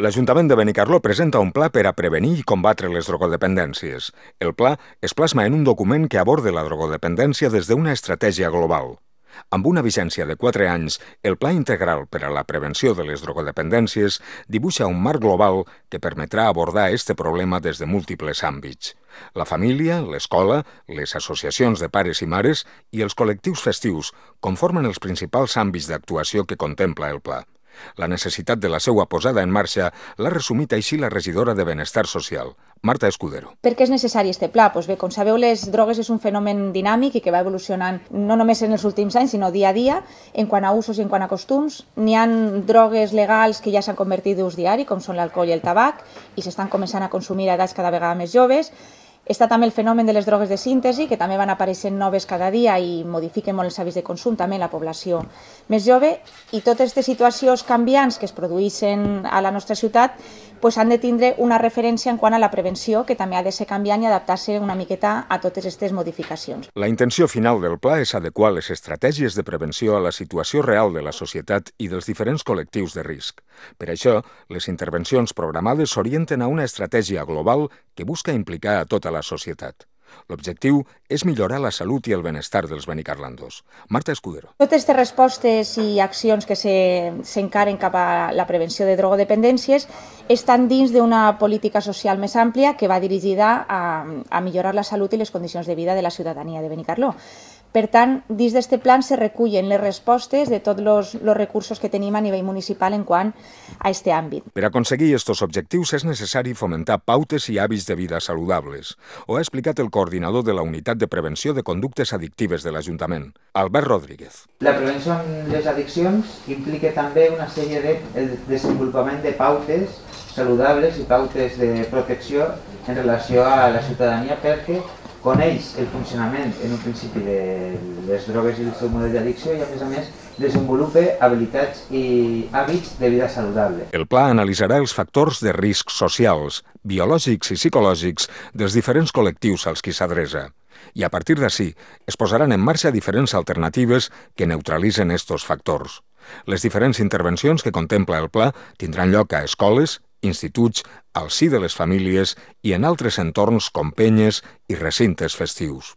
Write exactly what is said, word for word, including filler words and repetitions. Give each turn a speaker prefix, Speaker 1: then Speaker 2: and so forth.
Speaker 1: L'Ajuntament de Benicarló presenta un pla per a prevenir i combatre les drogodependències. El pla es plasma en un document que aborda la drogodependència des d'una estratègia global. Amb una vigència de quatre anys, el Pla Integral per a la Prevenció de les Drogodependències dibuixa un marc global que permetrà abordar aquest problema des de múltiples àmbits. La família, l'escola, les associacions de pares i mares i els col·lectius festius conformen els principals àmbits d'actuació que contempla el pla. La necessitat de la seva posada en marxa l'ha resumit així la regidora de Benestar Social, Marta Escudero.
Speaker 2: Per què és necessari aquest pla? Pues bé, com sabeu, les drogues és un fenomen dinàmic i que va evolucionant no només en els últims anys, sinó dia a dia, en quant a usos i en quant a costums. N'hi ha drogues legals que ja s'han convertit d'ús diari, com són l'alcohol i el tabac, i s'estan començant a consumir a edats cada vegada més joves. Està també el fenomen de les drogues de síntesi, que també van apareixent noves cada dia i modifiquen molt els hàbits de consum també en la població més jove, i totes aquestes situacions canviants que es produeixen a la nostra ciutat pues, han de tindre una referència en quant a la prevenció, que també ha de ser canviant i adaptar-se una miqueta a totes aquestes modificacions.
Speaker 1: La intenció final del pla és adequar les estratègies de prevenció a la situació real de la societat i dels diferents col·lectius de risc. Per això, les intervencions programades s'orienten a una estratègia global que busca implicar a tota la societat. L'objectiu és millorar la salut i el benestar dels benicarlandos. Marta Escudero.
Speaker 2: Totes aquestes respostes i accions que s'encaren cap a la prevenció de drogodependències estan dins d'una política social més àmplia que va dirigida a, a millorar la salut i les condicions de vida de la ciutadania de Benicarló. Per tant, dins d'aquest plan se recullen les respostes de tots els recursos que tenim a nivell municipal en quant a aquest àmbit.
Speaker 1: Per aconseguir aquests objectius és necessari fomentar pautes i hàbits de vida saludables. Ho ha explicat el coordinador de la Unitat de Prevenció de Conductes Addictives de l'Ajuntament, Albert Rodríguez.
Speaker 3: La prevenció en les addiccions implica també una sèrie de desenvolupament de pautes saludables i pautes de protecció en relació a la ciutadania perquè coneix el funcionament en un principi de les drogues i el seu model d'addicció i a més a més desenvolupa habilitats i hàbits de vida saludable.
Speaker 1: El pla analitzarà els factors de risc socials, biològics i psicològics dels diferents col·lectius als qui s'adreça. I a partir d'ací es posaran en marxa diferents alternatives que neutralitzen estos factors. Les diferents intervencions que contempla el pla tindran lloc a escoles, instituts, al si de les famílies i en altres entorns com penyes i recintes festius.